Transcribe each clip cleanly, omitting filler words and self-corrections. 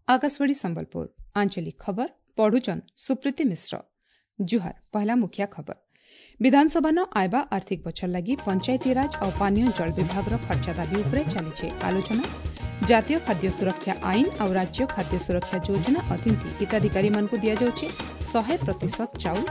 ଆକାଶବାଣୀ ସମ୍ବଲପୁର, ଆଞ୍ଚଳିକ ଖବର ପଢୁଛନ୍ ସୁପ୍ରୀତି ମିଶ୍ର। ଜୁହାର। ପହଲା ମୁଖିଆ ଖବର। ବିଧାନସଭାନ ଆଇବା ଆର୍ଥିକ ବଛର ଲାଗି ପଞ୍ଚାୟତିରାଜ ଆଉ ପାନୀୟ ଜଳ ବିଭାଗର ଖର୍ଚ୍ଚ ଦାବି ଉପରେ ଚାଲିଛି ଆଲୋଚନା। ଜାତୀୟ ଖାଦ୍ୟ ସୁରକ୍ଷା ଆଇନ ଆଉ ରାଜ୍ୟ ଖାଦ୍ୟ ସୁରକ୍ଷା ଯୋଜନା ଅଧୀନ ହିତାଧିକାରୀମାନଙ୍କୁ ଦିଆଯାଉଛି 100% ଚାଉଳ।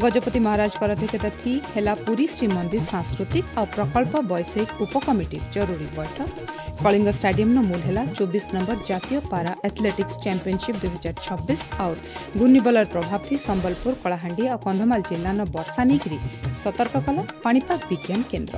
ଗଜପତି ମହାରାଜଙ୍କ ଅଧ୍ୟକ୍ଷତା ଥି ହେଲା ପୁରୀ ଶ୍ରୀମନ୍ଦିର ସାଂସ୍କୃତିକ ଆଉ ପ୍ରକଳ୍ପ ବୈଷୟିକ ଉପକମିଟିର ଜରୁରୀ ବୈଠକ। କଳିଙ୍ଗ ଷ୍ଟାଡିୟମର ମୂଲ ହେଲା 24 ନମ୍ବର ଜାତୀୟ ପାରା ଆଥଲେଟିକ୍ସ ଚାମ୍ପିୟନସିପ୍ 2026। ଆଉ ଘୂର୍ଣ୍ଣିବଳର ପ୍ରଭାବ ଥି ସମ୍ବଲପୁର, କଳାହାଣ୍ଡି ଆଉ କନ୍ଧମାଳ ଜିଲ୍ଲାନ ବର୍ଷା ନେଇକରି ସତର୍କ କଲା ପାଣିପାଗ ବିଜ୍ଞାନ କେନ୍ଦ୍ର।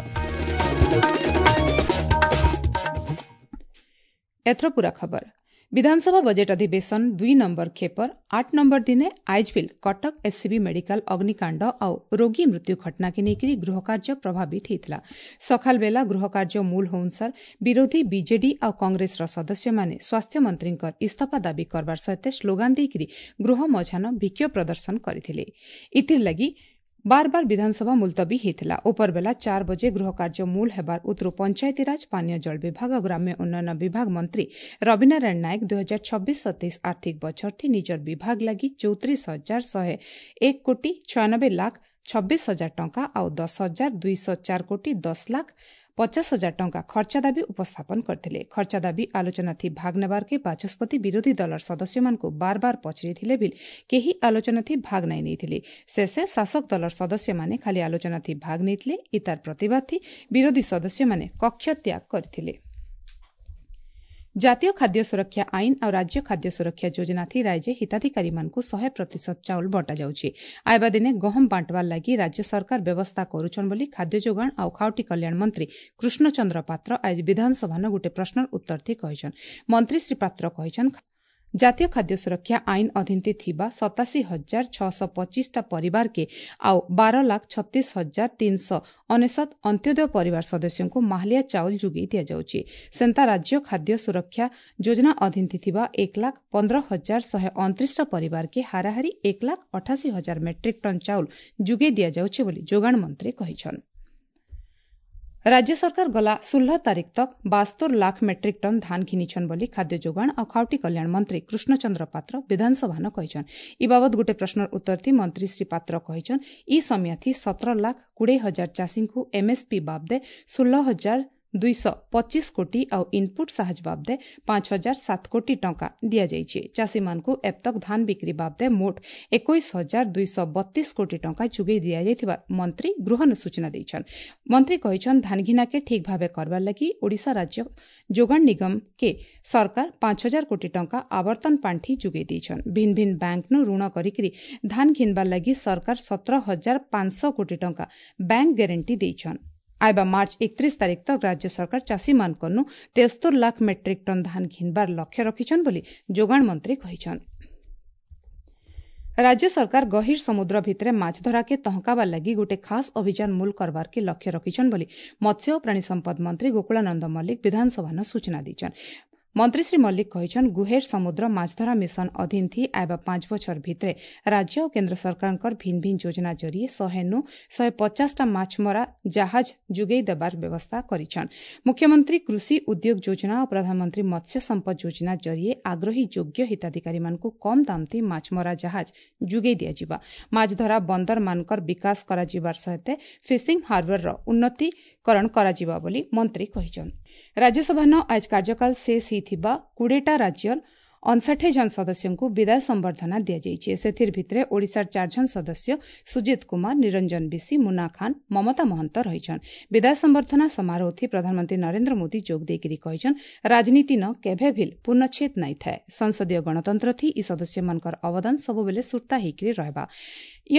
ଏଥର ପୂରା ଖବର। ବିଧାନସଭା ବଜେଟ୍ ଅଧିବେଶନ 2 ନମ୍ବର ଖେପର 8 ନମ୍ବର ଦିନେ ଆଇଜବିଲ୍ କଟକ ଏସ୍ସିବି ମେଡିକାଲ ଅଗ୍ନିକାଣ୍ଡ ଆଉ ରୋଗୀ ମୃତ୍ୟୁ ଘଟଣାକେ ନେଇକରି ଗୃହକାର୍ଯ୍ୟ ପ୍ରଭାବିତ ହୋଇଥିଲା। ସକାଳ ବେଲା ଗୃହକାର୍ଯ୍ୟ ମୂଲ ହେଉନସାର ବିରୋଧୀ ବିଜେଡି ଆଉ କଂଗ୍ରେସର ସଦସ୍ୟମାନେ ସ୍ୱାସ୍ଥ୍ୟମନ୍ତ୍ରୀଙ୍କ ଇସ୍ତଫା ଦାବି କରବାର ସହିତ ସ୍ଲୋଗାନ ଦେଇକରି ଗୃହ ମଝାନ ବିକ୍ଷୋଭ ପ୍ରଦର୍ଶନ କରିଥିଲେ। ଇଥିର୍ଲାଗି ବାର ବାର ବିଧାନସଭା ମୁଲତବୀ ହୋଇଥିଲା। ଉପରବେଲା 4 ବଜେ ଗୃହକାର୍ଯ୍ୟ ମୂଲ ହେବାର ଉତ୍ତରୁ ପଞ୍ଚାୟତିରାଜ, ପାନୀୟ ଜଳ ବିଭାଗ ଓ ଗ୍ରାମ୍ୟ ଉନ୍ନୟନ ବିଭାଗ ମନ୍ତ୍ରୀ ରବିନାରାୟଣ ନାୟକ 2026-27 ଆର୍ଥିକ ବଛର ନିଜର ବିଭାଗ ଲାଗି 34,101 କୋଟି 96 ଲାଖ 26 ହଜାର ଟଙ୍କା ଆଉ 10,204 କୋଟି 10 ଲାଖ 50 ହଜାର ଟଙ୍କା ଖର୍ଚ୍ଚ ଦାବି ଉପସ୍ଥାପନ କରିଥିଲେ। ଖର୍ଚ୍ଚ ଦାବି ଆଲୋଚନା ଥି ଭାଗ ନେବାର୍କେ ବାଚସ୍ପତି ବିରୋଧୀ ଦଳର ସଦସ୍ୟମାନଙ୍କୁ ବାର ବାର ପଚରିଥିଲେ ବି କେହି ଆଲୋଚନା ଥି ଭାଗ ନାଇଁ ନେଇଥିଲେ। ଶେଷେ ଶାସକ ଦଳର ସଦସ୍ୟମାନେ ଖାଲି ଆଲୋଚନା ଥି ଭାଗ ନେଇଥିଲେ। ଇତାର ପ୍ରତିବାଦ ଥି ବିରୋଧୀ ସଦସ୍ୟମାନେ କକ୍ଷ ତ୍ୟାଗ କରିଥିଲେ। ଜାତୀୟ ଖାଦ୍ୟ ସୁରକ୍ଷା ଆଇନ ଆଉ ରାଜ୍ୟ ଖାଦ୍ୟ ସୁରକ୍ଷା ଯୋଜନା ଥି ରାଜ୍ୟ ହିତାଧିକାରୀମାନଙ୍କୁ 100% ଚାଉଳ ବଣ୍ଟାଯାଉଛି। ଆଇବା ଦିନେ ଗହମ ବାଣ୍ଟବାର ଲାଗି ରାଜ୍ୟ ସରକାର ବ୍ୟବସ୍ଥା କରୁଛନ୍ ବୋଲି ଖାଦ୍ୟ ଯୋଗାଣ ଆଉ ଖାଉଟି କଲ୍ୟାଣ ମନ୍ତ୍ରୀ କୃଷ୍ଣଚନ୍ଦ୍ର ପାତ୍ର ଆଜି ବିଧାନସଭାନ ଗୋଟିଏ ପ୍ରଶ୍ନର ଉତ୍ତର ଥି କହିଛନ୍। ମନ୍ତ୍ରୀ ଶ୍ରୀ ପାତ୍ର କହିଛନ୍, ଜାତୀୟ ଖାଦ୍ୟ ସୁରକ୍ଷା ଆଇନ ଅଧୀନ ଥିବା 87,625ଟା ପରିବାରକେ ଆଉ 12,36,399 ଅନ୍ତ୍ୟୋଦୟ ପରିବାର ସଦସ୍ୟଙ୍କୁ ମାହାଲିଆ ଚାଉଳ ଯୋଗାଇ ଦିଆଯାଉଛି। ସେନ୍ତା ରାଜ୍ୟ ଖାଦ୍ୟ ସୁରକ୍ଷା ଯୋଜନା ଅଧୀନ ଥିବା 1,15,129ଟା ପରିବାରକେ ହାରାହାରି 1,88,000 ମେଟ୍ରିକ୍ ଟନ୍ ଚାଉଳ ଯୋଗାଇ ଦିଆଯାଉଛି ବୋଲି ଯୋଗାଣ ମନ୍ତ୍ରୀ କହିଛନ୍। ରାଜ୍ୟ ସରକାର ଗଲା 16 ତାରିଖ ତକ୍ 72 ଲାଖ ମେଟ୍ରିକ୍ ଟନ୍ ଧାନ ଘିନିଛନ୍ ବୋଲି ଖାଦ୍ୟ ଯୋଗାଣ ଆଉ ଖାଉଟି କଲ୍ୟାଣ ମନ୍ତ୍ରୀ କୃଷ୍ଣଚନ୍ଦ୍ର ପାତ୍ର ବିଧାନସଭାନ କହିଛନ୍। ଇ ବାବଦ ଗୋଟିଏ ପ୍ରଶ୍ନର ଉତ୍ତର ଥି ମନ୍ତ୍ରୀ ଶ୍ରୀ ପାତ୍ର କହିଛନ୍, ଇ ସମିୟାଥି 17 ଲାଖ 20 ହଜାର ଚାଷୀଙ୍କୁ ଏମ୍ଏସ୍ପି ବାବଦେ 16,225 କୋଟି ଆଉ ଇନ୍ପୁଟ୍ ସାହାଯ୍ୟ ବାବଦେ 5,007 କୋଟି ଟଙ୍କା ଦିଆଯାଇଛି। ଚାଷୀମାନଙ୍କୁ ଏବତକ୍ ଧାନ ବିକ୍ରି ବାବଦେ ମୋଟ 21,232 କୋଟି ଟଙ୍କା ଯୋଗାଇ ଦିଆଯାଇଥିବା ମନ୍ତ୍ରୀ ଗୃହନ ସୂଚନା ଦେଇଛନ୍। ମନ୍ତ୍ରୀ କହିଛନ୍, ଧାନଘିନାକେ ଠିକ୍ ଭାବେ କରବାର ଲାଗି ଓଡ଼ିଶା ରାଜ୍ୟ ଯୋଗାଣ ନିଗମକେ ସରକାର 5,000 କୋଟି ଟଙ୍କା ଆବର୍ତ୍ତନ ପାଣ୍ଠି ଯୋଗାଇ ଦେଇଛନ୍। ଭିନ୍ନ ଭିନ୍ନ ବ୍ୟାଙ୍କନୁ ଋଣ କରିକିରି ଧାନ ଘିନବାର ଲାଗି ସରକାର 17,500 କୋଟି ଟଙ୍କା ବ୍ୟାଙ୍କ ଗ୍ୟାରେଣ୍ଟି ଦେଇଛନ୍। ଆଇବା ମାର୍ଚ୍ଚ 31 ତାରିଖ ତକ୍ ରାଜ୍ୟ ସରକାର ଚାଷୀମାନଙ୍କନୁ 73 ଲାଖ ମେଟ୍ରିକ୍ ଟନ୍ ଧାନ ଘିନବାର ଲକ୍ଷ୍ୟ ରଖିଛନ୍ ବୋଲି ଯୋଗାଣ ମନ୍ତ୍ରୀ କହିଛନ୍। ରାଜ୍ୟ ସରକାର ଗହୀର ସମୁଦ୍ର ଭିତରେ ମାଛ ଧରାକେ ତହକାବାର ଲାଗି ଗୋଟେ ଖାସ୍ ଅଭିଯାନ ମୂଲ କରବାରକେ ଲକ୍ଷ୍ୟ ରଖିଛନ୍ ବୋଲି ମତ୍ସ୍ୟ ଓ ପ୍ରାଣୀ ସମ୍ପଦ ମନ୍ତ୍ରୀ ଗୋକୁଳାନନ୍ଦ ମଲ୍ଲିକ ବିଧାନସଭାନ ସୂଚନା ଦେଇଛନ୍। ମନ୍ତ୍ରୀ ଶ୍ରୀ ମଲ୍ଲିକ କହିଛନ୍, ଗୁହେର ସମୁଦ୍ର ମାଛଧରା ମିଶନ ଅଧୀନ ଥି ଆଇବା 5 ବଛର ଭିତରେ ରାଜ୍ୟ ଓ କେନ୍ଦ୍ର ସରକାରଙ୍କର ଭିନ୍ନ ଭିନ୍ନ ଯୋଜନା ଜରିଏ 100ନୁ 150ଟା ମାଛମରା ଜାହାଜ ଯୋଗାଇ ଦେବାର ବ୍ୟବସ୍ଥା କରିଛନ୍। ମୁଖ୍ୟମନ୍ତ୍ରୀ କୃଷି ଉଦ୍ୟୋଗ ଯୋଜନା ଓ ପ୍ରଧାନମନ୍ତ୍ରୀ ମତ୍ସ୍ୟ ସମ୍ପଦ ଯୋଜନା ଜରିଏ ଆଗ୍ରହୀ ଯୋଗ୍ୟ ହିତାଧିକାରୀମାନଙ୍କୁ କମ୍ ଦାମ ଥି ମାଛମରା ଜାହାଜ ଯୋଗାଇ ଦିଆଯିବା। ମାଛଧରା ବନ୍ଦରମାନଙ୍କର ବିକାଶ କରାଯିବାର ସହିତ ଫିସିଂ ହାର୍ବରର ଉନ୍ନତିକରଣ କରାଯିବ ବୋଲି ମନ୍ତ୍ରୀ କହିଛନ୍। ରାଜ୍ୟସଭାନ ଆଜ କାର୍ଯ୍ୟକାଳ ଶେଷ ହୋଇଥିବା 20ଟା ରାଜ୍ୟର 59 ଜଣ ସଦସ୍ୟଙ୍କୁ ବିଦାୟ ସମ୍ବର୍ଦ୍ଧନା ଦିଆଯାଇଛି। ସେଥିର ଭିତରେ ଓଡ଼ିଶାର 4 ଜଣ ସଦସ୍ୟ ସୁଜିତ କୁମାର, ନିରଞ୍ଜନ ବିଶି, ମୁନା ଖାନ୍, ମମତା ମହନ୍ତ ରହିଛନ୍। ବିଦାୟ ସମ୍ବର୍ଦ୍ଧନା ସମାରୋହ ପ୍ରଧାନମନ୍ତ୍ରୀ ନରେନ୍ଦ୍ର ମୋଦି ଯୋଗ ଦେଇକରି କହିଛନ୍, ରାଜନୀତି ନ କେଭେ ଭିଲ୍ ପୂର୍ଣ୍ଣଚ୍ଛେଦ ନାଇଁ ଥାଏ। ସଂସଦୀୟ ଗଣତନ୍ତ୍ର ଥି ଇ ସଦସ୍ୟମାନଙ୍କର ଅବଦାନ ସବୁବେଳେ ସୁର୍ତ୍ତା ହେଇକରି ରହିବା। ଇ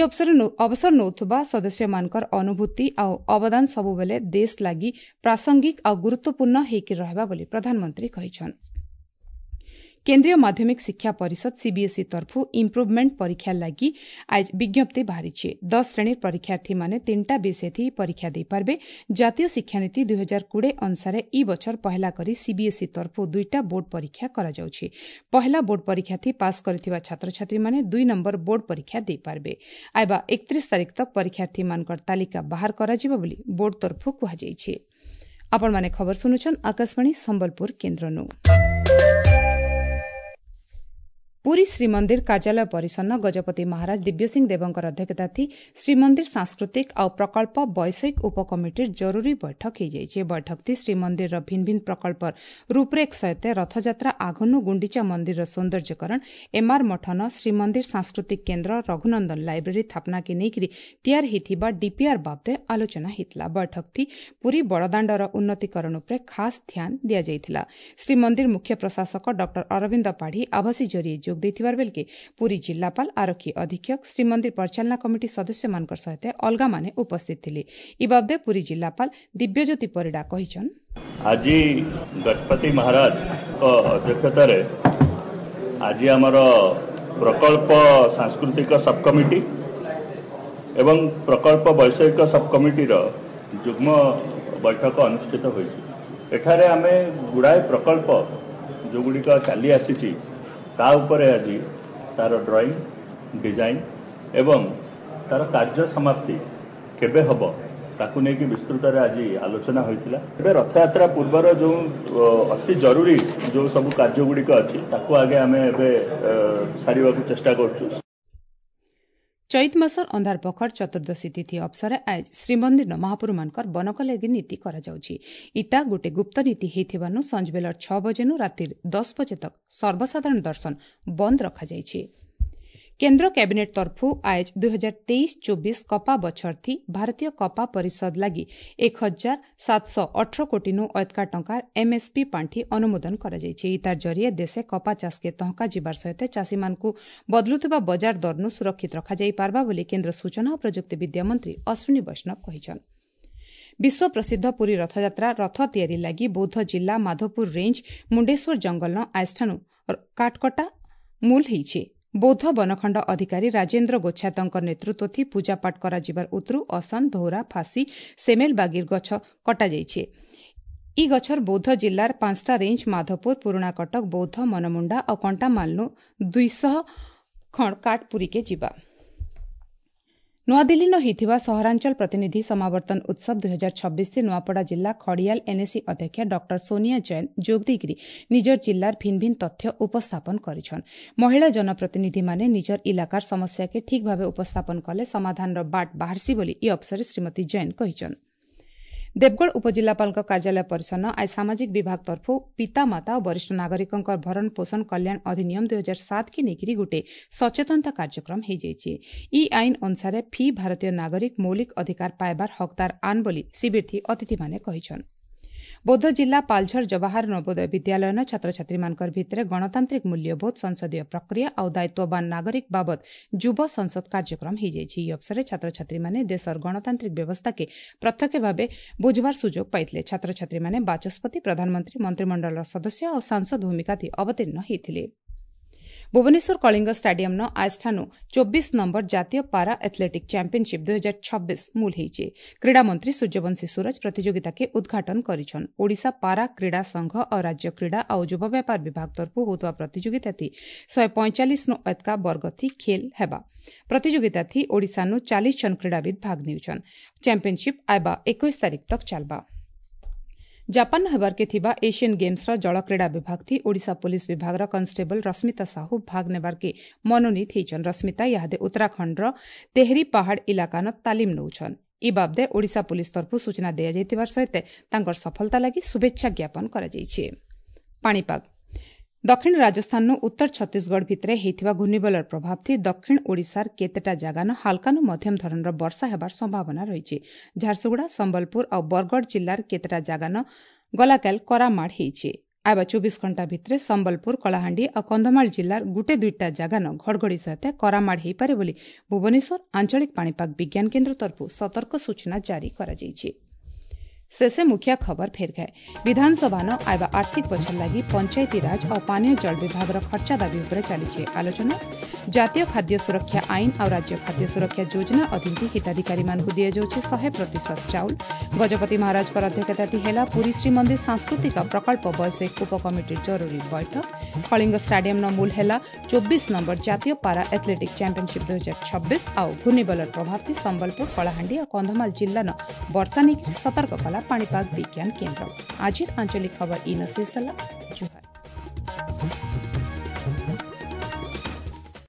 ଅବସର ନେଉଥିବା ସଦସ୍ୟମାନଙ୍କର ଅନୁଭୂତି ଆଉ ଅବଦାନ ସବୁବେଳେ ଦେଶ ଲାଗି ପ୍ରାସଙ୍ଗିକ ଆଉ ଗୁରୁତ୍ୱପୂର୍ଣ୍ଣ ହେଇକି ରହିବା ବୋଲି ପ୍ରଧାନମନ୍ତ୍ରୀ କହିଛନ୍। କେନ୍ଦ୍ରୀୟ ମାଧ୍ୟମିକ ଶିକ୍ଷା ପରିଷଦ ସିବିଏସ୍ଇ ତରଫରୁ ଇମ୍ପ୍ରୁଭମେଣ୍ଟ ପରୀକ୍ଷା ଲାଗି ଆଜ ବିଜ୍ଞପ୍ତି ବାହାରିଛି। 10 ଶ୍ରେଣୀର ପରୀକ୍ଷାର୍ଥୀମାନେ 3ଟା ବିଷୟ ପରୀକ୍ଷା ଦେଇପାରିବେ। ଜାତୀୟ ଶିକ୍ଷାନୀତି 2020 ଅନୁସାରେ ଇ ବଛର ପହଲା କରି ସିବିଏସ୍ଇ ତରଫରୁ 2ଟା ବୋର୍ଡ ପରୀକ୍ଷା କରାଯାଉଛି। ପହଲା ବୋର୍ଡ ପରୀକ୍ଷା ଥି ପାସ୍ କରିଥିବା ଛାତ୍ରଛାତ୍ରୀମାନେ 2 ନମ୍ବର ବୋର୍ଡ ପରୀକ୍ଷା ଦେଇପାରିବେ। ଆଇବା 31 ତାରିଖ ତକ୍ ପରୀକ୍ଷାର୍ଥୀମାନଙ୍କର ତାଲିକା ବାହାର କରାଯିବ ବୋଲି ବୋର୍ଡ ତରଫରୁ କୁହାଯାଇଛି। ଆପଣମାନେ ଖବର ଶୁଣୁଛନ୍ ଆକାଶବାଣୀ ସମ୍ବଲପୁର କେନ୍ଦ୍ରନୁ। ପୁରୀ ଶ୍ରୀମନ୍ଦିର କାର୍ଯ୍ୟାଳୟ ପରିସନ୍ନ ଗଜପତି ମହାରାଜ ଦିବ୍ୟସିଂହ ଦେବଙ୍କର ଅଧ୍ୟକ୍ଷତା ଥି ଶ୍ରୀମନ୍ଦିର ସାଂସ୍କୃତିକ ଆଉ ପ୍ରକଳ୍ପ ବୈଷୟିକ ଉପକମିଟିର ଜରୁରୀ ବୈଠକ ହୋଇଯାଇଛି। ବୈଠକ ଥି ଶ୍ରୀମନ୍ଦିରର ଭିନ୍ନ ଭିନ୍ନ ପ୍ରକଳ୍ପର ରୂପରେଖ ସହିତ ରଥଯାତ୍ରା ଆଘନୁ ଗୁଣ୍ଡିଚା ମନ୍ଦିରର ସୌନ୍ଦର୍ଯ୍ୟକରଣ, ଏମ୍ଆର୍ ମଠନ ଶ୍ରୀମନ୍ଦିର ସାଂସ୍କୃତିକ କେନ୍ଦ୍ର, ରଘୁନନ୍ଦନ ଲାଇବ୍ରେରୀ ସ୍ଥାପନାକେ ନେଇକରି ତିଆରି ହୋଇଥିବା ଡିପିଆର୍ ବାବଦେ ଆଲୋଚନା ହୋଇଥିଲା। ବୈଠକ ଥି ପୁରୀ ବଡ଼ଦାଣ୍ଡର ଉନ୍ନତିକରଣ ଉପରେ ଖାସ୍ ଧ୍ୟାନ ଦିଆଯାଇଥିଲା। ଶ୍ରୀମନ୍ଦିର ମୁଖ୍ୟ ପ୍ରଶାସକ ଡକ୍ଟର ଅରବିନ୍ଦ ପାଢ଼ୀ ଆଭାସୀ ଜରିଏ ଯୋଗ ଦେଇଥିବାର ବେଳକେ ପୁରୀ ଜିଲ୍ଲାପାଳ, ଆରକ୍ଷୀ ଅଧୀକ୍ଷକ, ଶ୍ରୀମନ୍ଦିର ପରିଚାଳନା କମିଟି ସଦସ୍ୟମାନଙ୍କ ସହିତ ଅଲଗାମାନେ ଉପସ୍ଥିତ ଥିଲେ। ଇ ବାବଦେ ପୁରୀ ଜିଲ୍ଲାପାଳ ଦିବ୍ୟଜ୍ୟୋତି ପରିଡ଼ା କହିଛନ୍, ଆଜି ଗଜପତି ମହାରାଜଙ୍କ ଅଧ୍ୟକ୍ଷତାରେ ଆଜି ଆମର ପ୍ରକଳ୍ପ ସାଂସ୍କୃତିକ ସବ୍ କମିଟି ଏବଂ ପ୍ରକଳ୍ପ ବୈଷୟିକ ସବ୍ କମିଟିର ଯୁଗ୍ମ ବୈଠକ ଅନୁଷ୍ଠିତ ହୋଇଛି। ଏଠାରେ ଆମେ ଗୁଡ଼ାଏ ପ୍ରକଳ୍ପ ଯେଉଁଗୁଡ଼ିକ ଚାଲି ଆସିଛି ତା ଉପରେ ଆଜି ତାର ଡ୍ରଇଂ, ଡିଜାଇନ୍ ଏବଂ ତାର କାର୍ଯ୍ୟ ସମାପ୍ତି କେବେ ହେବ ତାକୁ ନେଇକି ବିସ୍ତୃତରେ ଆଜି ଆଲୋଚନା ହୋଇଥିଲା। ଏବେ ରଥଯାତ୍ରା ପୂର୍ବର ଯେଉଁ ଅତି ଜରୁରୀ ଯେଉଁ ସବୁ କାର୍ଯ୍ୟଗୁଡ଼ିକ ଅଛି ତାକୁ ଆଗେ ଆମେ ଏବେ ସାରିବାକୁ ଚେଷ୍ଟା କରୁଛୁ। ଚୈତ ମାସର ଅନ୍ଧାର ପଖର ଚତୁର୍ଦ୍ଦଶୀ ତିଥି ଅବସରେ ଆଜ ଶ୍ରୀମନ୍ଦିର ମହାପ୍ରଭୁମାନଙ୍କର ବନକଲାଗି ନୀତି କରାଯାଉଛି। ଇଟା ଗୋଟେ ଗୁପ୍ତ ନୀତି ହେଇଥିବାନୁ ସଞ୍ଜବେଲର 6 ବଜେନୁ ରାତିର 10 ବଜେ ତକ ସର୍ବସାଧାରଣ ଦର୍ଶନ ବନ୍ଦ ରଖାଯାଇଛି। କେନ୍ଦ୍ର କ୍ୟାବିନେଟ୍ ତରଫୁ ଆଏଜ 2023-24 କପା ବଛରଥି ଭାରତୀୟ କପା ପରିଷଦ ଲାଗି 1718 କୋଟିନୁ ଅଏତକା ଟଙ୍କାର ଏମ୍ଏସ୍ପି ପାଣ୍ଠି ଅନୁମୋଦନ କରାଯାଇଛି। ତାର ଜରିଏ ଦେଶେ କପା ଚାଷକେ ତହକା ଯିବାର ସହିତ ଚାଷୀମାନଙ୍କୁ ବଦଳୁଥିବା ବଜାର ଦରନୁ ସୁରକ୍ଷିତ ରଖାଯାଇପାରବା ବୋଲି କେନ୍ଦ୍ର ସୂଚନା ଓ ପ୍ରଯୁକ୍ତି ବିଦ୍ୟା ମନ୍ତ୍ରୀ ଅଶ୍ୱିନୀ ବୈଷ୍ଣବ କହିଛନ୍। ବିଶ୍ୱ ପ୍ରସିଦ୍ଧ ପୁରୀ ରଥଯାତ୍ରା ରଥ ତିଆରି ଲାଗି ବୌଦ୍ଧ ଜିଲ୍ଲା ମାଧପୁର ରେଞ୍ଜ ମୁଣ୍ଡେଶ୍ୱର ଜଙ୍ଗଲନ ଆଏଜଠାନୁ କାଠକଟା ମୂଲ ହେଇଛି। ବୌଦ୍ଧ ବନଖଣ୍ଡ ଅଧିକାରୀ ରାଜେନ୍ଦ୍ର ଗୋଛାତଙ୍କ ନେତୃତ୍ୱ ଥି ପୂଜାପାଠ କରାଯିବାର ଉତରୁ ଅସନ, ଧୌରା, ଫାଶୀ, ସେମେଲ ବାଗିର ଗଛ କଟାଯାଇଛି। ଇ ଗଛର ବୌଦ୍ଧ ଜିଲ୍ଲାର 5ଟା ରେଞ୍ଜ ମାଧପୁର, ପୁରୁଣା କଟକ, ବୌଦ୍ଧ, ମନମୁଣ୍ଡା ଆଉ କଣ୍ଟାମାଲନୁ 200 ଖଣ୍ଡ କାଠ ପୁରୀକେ ଯିବା। ନୂଆଦିଲ୍ଲୀନ ହୋଇଥିବା ସହରାଞ୍ଚଳ ପ୍ରତିନିଧି ସମାବର୍ତ୍ତନ ଉତ୍ସବ 2026 ନୂଆପଡ଼ା ଜିଲ୍ଲା ଖଡ଼ିଆଲ ଏନ୍ଏସି ଅଧ୍ୟକ୍ଷା ଡକ୍ଟର ସୋନିଆ ଜୈନ ଯୋଗ ଦେଇକରି ନିଜର ଜିଲ୍ଲାର ଭିନ୍ନ ଭିନ୍ନ ତଥ୍ୟ ଉପସ୍ଥାପନ କରିଛନ୍। ମହିଳା ଜନପ୍ରତିନିଧିମାନେ ନିଜର ଇଲାକାର ସମସ୍ୟାକେ ଠିକ୍ ଭାବେ ଉପସ୍ଥାପନ କଲେ ସମାଧାନର ବାଟ ବାହାରିସି ବୋଲି ଇ ଅବସରରେ ଶ୍ରୀମତୀ ଜୈନ କହିଛନ୍। ଦେବଗଡ଼ ଉପଜିଲ୍ଲାପାଳଙ୍କ କାର୍ଯ୍ୟାଳୟ ପରିସର ଆଜି ସାମାଜିକ ବିଭାଗ ତରଫରୁ ପିତାମାତା ଓ ବରିଷ୍ଠ ନାଗରିକଙ୍କ ଭରଣ ପୋଷଣ କଲ୍ୟାଣ ଅଧିନିୟମ 2007 କି ନେଇକରି ଗୋଟିଏ ସଚେତନତା କାର୍ଯ୍ୟକ୍ରମ ହୋଇଯାଇଛି। ଇ ଆଇନ ଅନୁସାରେ ଫି ଭାରତୀୟ ନାଗରିକ ମୌଳିକ ଅଧିକାର ପାଇବାର ହକଦାର ଆନ୍ ବୋଲି ଶିବିରଥି ଅତିଥିମାନେ କହିଛନ୍। ବୌଦ୍ଧ ଜିଲ୍ଲା ପାଲଝର ଜବାହର ନବୋଦୟ ବିଦ୍ୟାଳୟର ଛାତ୍ରଛାତ୍ରୀମାନଙ୍କ ଭିତରେ ଗଣତାନ୍ତ୍ରିକ ମୂଲ୍ୟବୋଧ, ସଂସଦୀୟ ପ୍ରକ୍ରିୟା ଆଉ ଦାୟିତ୍ୱବାନ ନାଗରିକ ବାବଦ ଯୁବ ସଂସଦ କାର୍ଯ୍ୟକ୍ରମ ହୋଇଯାଇଛି। ଏହି ଅବସରରେ ଛାତ୍ରଛାତ୍ରୀମାନେ ଦେଶର ଗଣତାନ୍ତ୍ରିକ ବ୍ୟବସ୍ଥାକେ ପ୍ରତ୍ୟକ୍ଷ ଭାବେ ବୁଝବାର ସୁଯୋଗ ପାଇଥିଲେ। ଛାତ୍ରଛାତ୍ରୀମାନେ ବାଚସ୍ପତି, ପ୍ରଧାନମନ୍ତ୍ରୀ, ମନ୍ତ୍ରିମଣ୍ଡଳର ସଦସ୍ୟ ଆଉ ସାଂସଦ ଭୂମିକା ଅବତୀର୍ଣ୍ଣ ହୋଇଥିଲେ। ଭୁବନେଶ୍ୱର କଳିଙ୍ଗ ଷ୍ଟାଡିୟମ୍ନ ଆଜଠାନୁ 24 ନମ୍ବର ଜାତୀୟ ପାରା ଆଥଲେଟିକ୍ ଚାମ୍ପିୟନସିପ୍ 2026 ମୂଲ ହେଇଛି। କ୍ରୀଡ଼ାମନ୍ତ୍ରୀ ସୂର୍ଯ୍ୟବଂଶୀ ସୂରଜ ପ୍ରତିଯୋଗିତାକେ ଉଦ୍ଘାଟନ କରିଛନ୍। ଓଡ଼ିଶା ପାରା କ୍ରୀଡ଼ା ସଂଘ ଆଉ ରାଜ୍ୟ କ୍ରୀଡ଼ା ଆଉ ଯୁବ ବ୍ୟାପାର ବିଭାଗ ତରଫରୁ ହେଉଥିବା ପ୍ରତିଯୋଗିତାଥି 145ନୁ ଏତକା ବର୍ଗଥି ଖେଲ ହେବା। ପ୍ରତିଯୋଗିତାଥି ଓଡ଼ିଶାନୁ 40 ଜଣ କ୍ରୀଡ଼ାବିତ୍ ଭାଗ ନେଉଛନ୍। ଚାମ୍ପିୟନସିପ୍ ଆଇବା 21 ତାରିଖ ତକ୍ ଚାଲବା। ଜାପାନ ହେବାର୍କେ ଥିବା ଏସିଆନ୍ ଗେମ୍ସର ଜଳକ୍ରୀଡ଼ା ବିଭାଗ ଥି ଓଡ଼ିଶା ପୁଲିସ୍ ବିଭାଗର କନଷ୍ଟେବଲ ରଶ୍ମିତା ସାହୁ ଭାଗ ନେବାର୍କେ ମନୋନୀତ ହେଇଛନ୍। ରଶ୍ମିତା ଇହାଦେ ଉତ୍ତରାଖଣ୍ଡର ତେହରି ପାହାଡ଼ ଇଲାକାନ ତାଲିମ ନେଉଛନ୍। ଇ ବାବଦେ ଓଡ଼ିଶା ପୁଲିସ୍ ତରଫରୁ ସୂଚନା ଦିଆଯାଇଥିବାର ସହିତ ତାଙ୍କର ସଫଳତା ଲାଗି ଶୁଭେଚ୍ଛା ଜ୍ଞାପନ କରାଯାଇଛି। ପାଣିପାଗ ଦକ୍ଷିଣ ରାଜସ୍ଥାନରୁ ଉତ୍ତର ଛତିଶଗଡ଼ ଭିତରେ ହେଇଥିବା ଘୂର୍ଣ୍ଣିବଳର ପ୍ରଭାବ ଥି ଦକ୍ଷିଣ ଓଡ଼ିଶାର କେତେଟା ଜାଗାନ ହାଲକାନୁ ମଧ୍ୟମ ଧରଣର ବର୍ଷା ହେବାର ସମ୍ଭାବନା ରହିଛି। ଝାରସୁଗୁଡ଼ା, ସମ୍ବଲପୁର ଆଉ ବରଗଡ଼ ଜିଲ୍ଲାର କେତେଟା ଜାଗାନ ଗଲାକାଲ କରାମାଡ଼ ହେଇଛି। ଆଇବା 24 ଘଣ୍ଟା ଭିତରେ ସମ୍ବଲପୁର, କଳାହାଣ୍ଡି ଆଉ କନ୍ଧମାଳ ଜିଲ୍ଲାର ଗୋଟେ ଦୁଇଟା ଜାଗାନ ଘଡ଼ଘଡ଼ି ସହିତ କରାମାଡ଼ ହୋଇପାରେ ବୋଲି ଭୁବନେଶ୍ୱର ଆଞ୍ଚଳିକ ପାଣିପାଗ ବିଜ୍ଞାନ କେନ୍ଦ୍ର ତରଫରୁ ସତର୍କ ସୂଚନା ଜାରି କରାଯାଇଛି। शेषे मुखिया खबर फेर गए। विधानसभा न आवा आर्थिक बछर लागि पंचायती राज और पानीय जल विभाग खर्चा दाबी उपरे चालीছে आलोचना। जातीय खाद्य सुरक्षा आईन और राज्य खाद्य सुरक्षा योजना अधीन हिताधिकारी मानକୁ दियाଯାଉଛି 100% चाउल। गजपति महाराजଙ୍କ अध्यक्षता ହେଲା पुरी श्रीमंदिर सांस्कृतिक प्रकल्प ବୈଷୟିକ उपकमिटी जरूरी बैठक। कलिंग स्टाडियम न मूल ହେଲା 24 नंबर जातीय पारा एथलेटिक चैंपियनशिप 2026 आउ घूर्णिबलर प्रभाव सम्बलपुर, कलाहांडी और कंधमाल जिल्ला न वर्षा नेଇ सतर्क कला पाणीपाग विज्ञान केन्द्र। आजिर आंचलिक खबर इन शेष।